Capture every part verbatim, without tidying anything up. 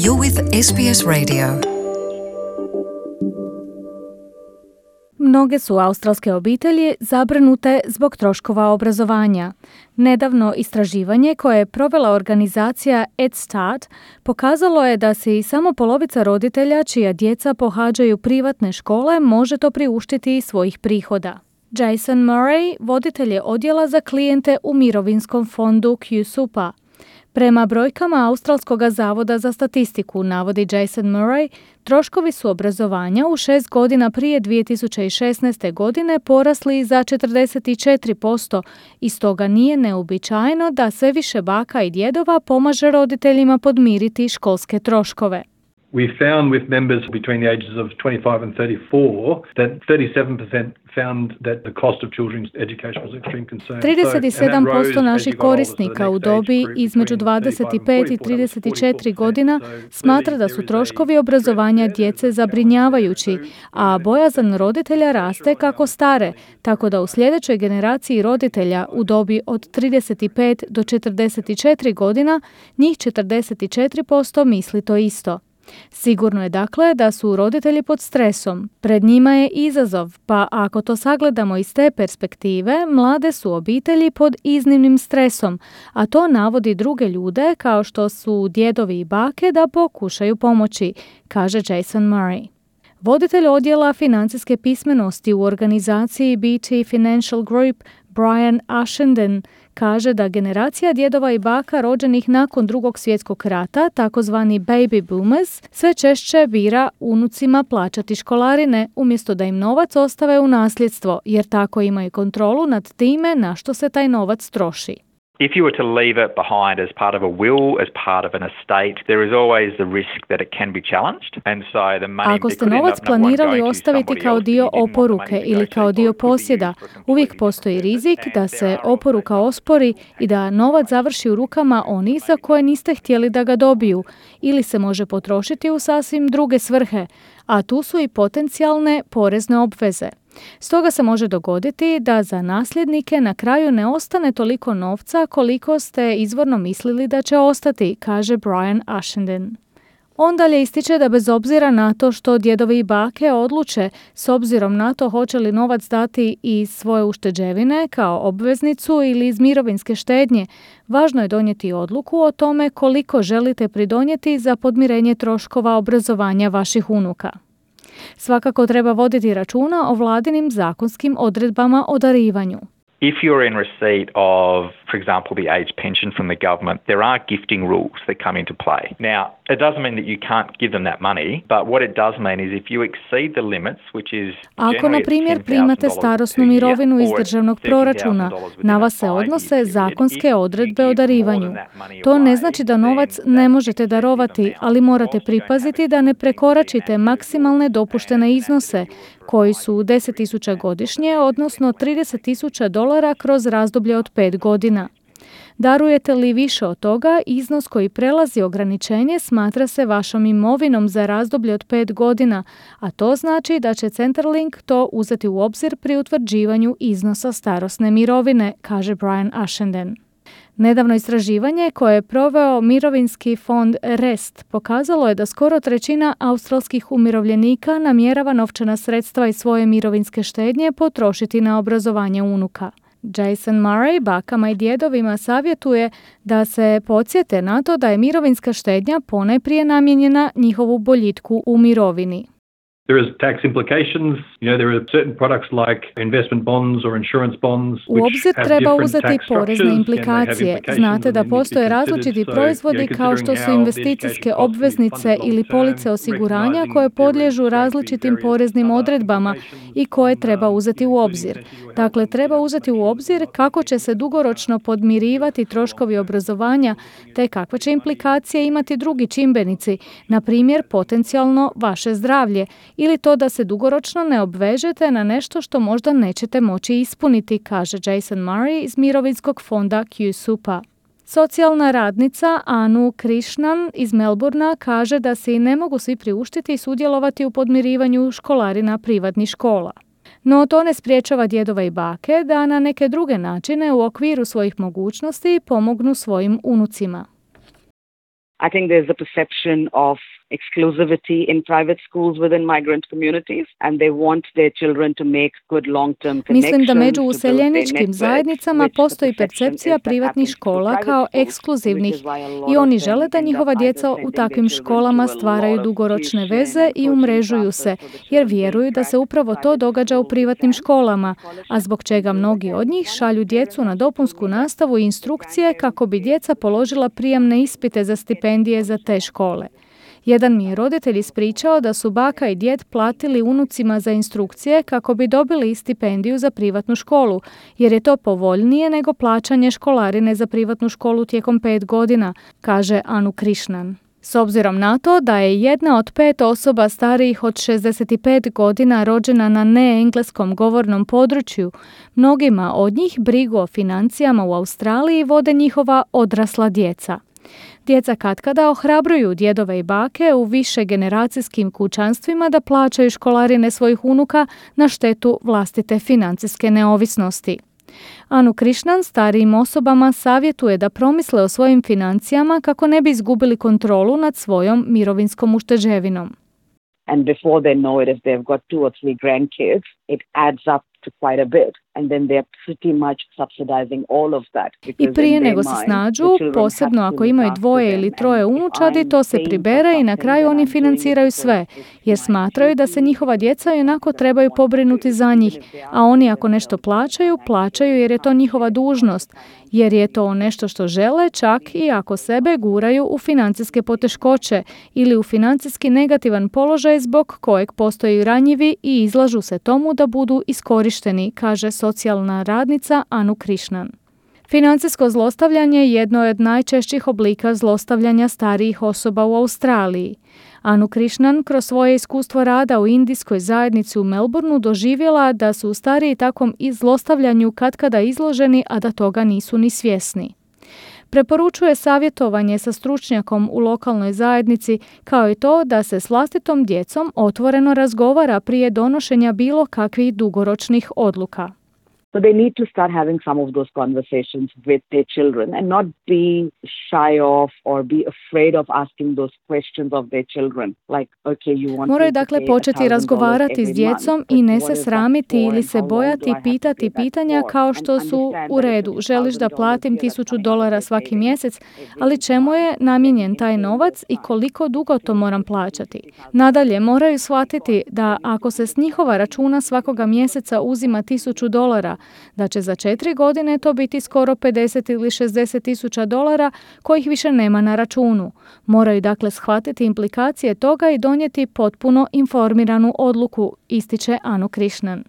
You're with S B S Radio. Mnoge su australske obitelji zabrinute zbog troškova obrazovanja. Nedavno istraživanje koje je provela organizacija EdStart pokazalo je da se i samo polovica roditelja čija djeca pohađaju privatne škole može to priuštiti iz svojih prihoda. Jason Murray, voditelj je odjela za klijente u mirovinskom fondu QSuper. Prema brojkama Australskog zavoda za statistiku, navodi Jason Murray, troškovi su obrazovanja u šest godina prije dvije tisuće šesnaeste. godine porasli za četrdeset četiri posto i stoga nije neuobičajeno da sve više baka i djedova pomaže roditeljima podmiriti školske troškove. We found with members between the ages of twenty-five and thirty-four that thirty-seven percent found that the cost of children's education was extreme concern. trideset sedam posto naših korisnika u dobi između dvadeset pet i trideset četiri godina smatra da su troškovi obrazovanja djece zabrinjavajući, a bojazan roditelja raste kako stare, tako da u sljedećoj generaciji roditelja u dobi od trideset pet do četrdeset četiri godina njih četrdeset četiri posto misli to isto. Sigurno je dakle da su roditelji pod stresom. Pred njima je izazov, pa ako to sagledamo iz te perspektive, mlade su obitelji pod iznimnim stresom, a to navodi druge ljude kao što su djedovi i bake da pokušaju pomoći, kaže Jason Murray. Voditelj odjela financijske pismenosti u organizaciji B T Financial Group, Brian Ashenden, kaže da generacija djedova i baka rođenih nakon drugog svjetskog rata, takozvani baby boomers, sve češće bira unucima plaćati školarine umjesto da im novac ostave u nasljedstvo, jer tako imaju kontrolu nad time na što se taj novac troši. If you were to leave it behind as part of a will, as part of an estate, there is always the risk that it can be challenged. And so the money Ako ste novac planirali ostaviti kao dio oporuke ili kao dio posjeda, uvijek postoji rizik da se oporuka ospori i da novac završi u rukama onih za koje niste htjeli da ga dobiju, ili se može potrošiti u sasvim druge svrhe, a tu su i potencijalne porezne obveze. Stoga se može dogoditi da za nasljednike na kraju ne ostane toliko novca koliko ste izvorno mislili da će ostati, kaže Brian Ashenden. On dalje ističe da bez obzira na to što djedovi i bake odluče s obzirom na to hoće li novac dati iz svoje ušteđevine kao obveznicu ili iz mirovinske štednje, važno je donijeti odluku o tome koliko želite pridonijeti za podmirenje troškova obrazovanja vaših unuka. Svakako treba voditi računa o vladinim zakonskim odredbama o darivanju. If you're in receipt of, for example, the age pension from the government, there are gifting rules that come into play. Now, it doesn't mean that you can't give them that money, but what it does mean is if you exceed the limits, which is Ako, na primjer, primate starosnu mirovinu iz državnog proračuna, na vas se odnose zakonske odredbe o darivanju. To ne znači da novac ne možete darovati, ali morate pripaziti da ne prekoračite maksimalne dopuštene iznose, koji su deset tisuća godišnje, odnosno trideset tisuća dolara kroz razdoblje od pet godina. Darujete li više od toga, iznos koji prelazi ograničenje smatra se vašom imovinom za razdoblje od pet godina, a to znači da će Centrelink to uzeti u obzir pri utvrđivanju iznosa starosne mirovine, kaže Brian Ashenden. Nedavno istraživanje koje je proveo mirovinski fond Rest pokazalo je da skoro trećina australskih umirovljenika namjerava novčana sredstva iz svoje mirovinske štednje potrošiti na obrazovanje unuka. Jason Murray bakama i djedovima savjetuje da se podsjete na to da je mirovinska štednja ponajprije namijenjena njihovu boljitku u mirovini. There is tax implications. You know, there are certain products like investment bonds or insurance bonds. U obzir treba uzeti porezne implikacije. Znate da postoje različiti proizvodi kao što su investicijske obveznice ili police osiguranja koje podliježu različitim poreznim odredbama i koje treba uzeti u obzir. Dakle, treba uzeti u obzir kako će se dugoročno podmirivati troškovi obrazovanja te kakve će implikacije imati drugi čimbenici, na primjer potencijalno vaše zdravlje, ili to da se dugoročno ne obvežete na nešto što možda nećete moći ispuniti, kaže Jason Murray iz mirovinskog fonda QSuper. Socijalna radnica Anu Krishnan iz Melbournea kaže da se i ne mogu svi priuštiti i sudjelovati u podmirivanju školarina privatnih škola. No to ne spriječava djedova i bake da na neke druge načine u okviru svojih mogućnosti pomognu svojim unucima. I think there's a perception of exclusivity in private schools within migrant communities and they want their children to make good long-term connections. Mislim da među useljeničkim zajednicama postoji percepcija privatnih škola kao ekskluzivnih i oni žele da njihova djeca u takvim školama stvaraju dugoročne veze i umrežuju se, jer vjeruju da se upravo to događa u privatnim školama, a zbog čega mnogi od njih šalju djecu na dopunsku nastavu i instrukcije kako bi djeca položila prijemne ispite za stipendije za te škole. Jedan mi je roditelj ispričao da su baka i djed platili unucima za instrukcije kako bi dobili stipendiju za privatnu školu, jer je to povoljnije nego plaćanje školarine za privatnu školu tijekom pet godina, kaže Anu Krishnan. S obzirom na to da je jedna od pet osoba starijih od šezdeset pet godina rođena na neengleskom govornom području, mnogima od njih brigu o financijama u Australiji vode njihova odrasla djeca. Djeca katkada ohrabruju djedove i bake u više generacijskim kućanstvima da plaćaju školarine svojih unuka na štetu vlastite financijske neovisnosti. Anu Krishnan starijim osobama savjetuje da promisle o svojim financijama kako ne bi izgubili kontrolu nad svojom mirovinskom ušteđevinom. And before they know it, if they've got two or three grandkids, it adds up to quite a bit. And then they're pretty much subsidizing all of that. I prije nego se snađu, posebno ako imaju dvoje ili troje unučadi, to se pribere i na kraju oni financiraju sve, jer smatraju da se njihova djeca ionako trebaju pobrinuti za njih, a oni ako nešto plaćaju, plaćaju jer je to njihova dužnost, jer je to nešto što žele, čak i ako sebe guraju u financijske poteškoće ili u financijski negativan položaj zbog kojeg postoji ranjivi i izlažu se tomu da budu iskorišteni, kaže socijalna radnica Anu Krishnan. Financijsko zlostavljanje jedno je od najčešćih oblika zlostavljanja starijih osoba u Australiji. Anu Krishnan kroz svoje iskustvo rada u indijskoj zajednici u Melbourneu doživjela da su stariji takvom zlostavljanju katkada izloženi, a da toga nisu ni svjesni. Preporučuje savjetovanje sa stručnjakom u lokalnoj zajednici, kao i to da se s vlastitom djecom otvoreno razgovara prije donošenja bilo kakvih dugoročnih odluka. So they need to start having some of those conversations with their children and not be shy of or be afraid of asking those questions of their children. Like, okay, you want Moraju dakle početi razgovarati s djecom i ne se sramiti ili se bojati pitati pitanja kao što su u redu. Želiš da platim tisuću dolara svaki mjesec, ali čemu je namijenjen taj novac i koliko dugo to moram plaćati? Nadalje, moraju shvatiti da ako se s njihova računa svakoga mjeseca uzima tisuću dolara, da će za četiri godine to biti skoro pedeset ili šezdeset tisuća dolara kojih više nema na računu. Moraju dakle shvatiti implikacije toga i donijeti potpuno informiranu odluku, ističe Anu Krishnan.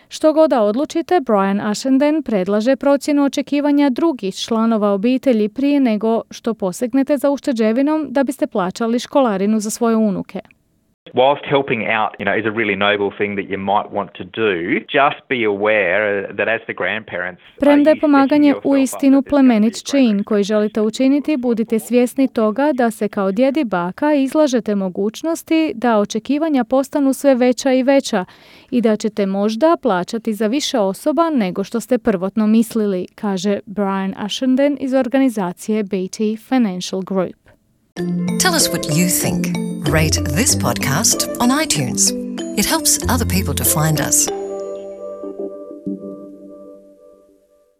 Što god da odlučite, Brian Ashenden predlaže procjenu očekivanja drugih članova obitelji prije nego što posegnete za ušteđevinom da biste plaćali školarinu za svoje unuke. Whilst helping out, you know, is a really noble thing that you might want to do, just be aware that as the grandparents... Premda je pomaganje uistinu plemenit čin koji želite učiniti, budite svjesni toga da se kao djed i baka izlažete mogućnosti da očekivanja postanu sve veća i veća i da ćete možda plaćati za više osoba nego što ste prvotno mislili, kaže Brian Ashenden iz organizacije Beatty Financial Group. Tell us what you think. Rate this podcast on iTunes. It helps other people to find us.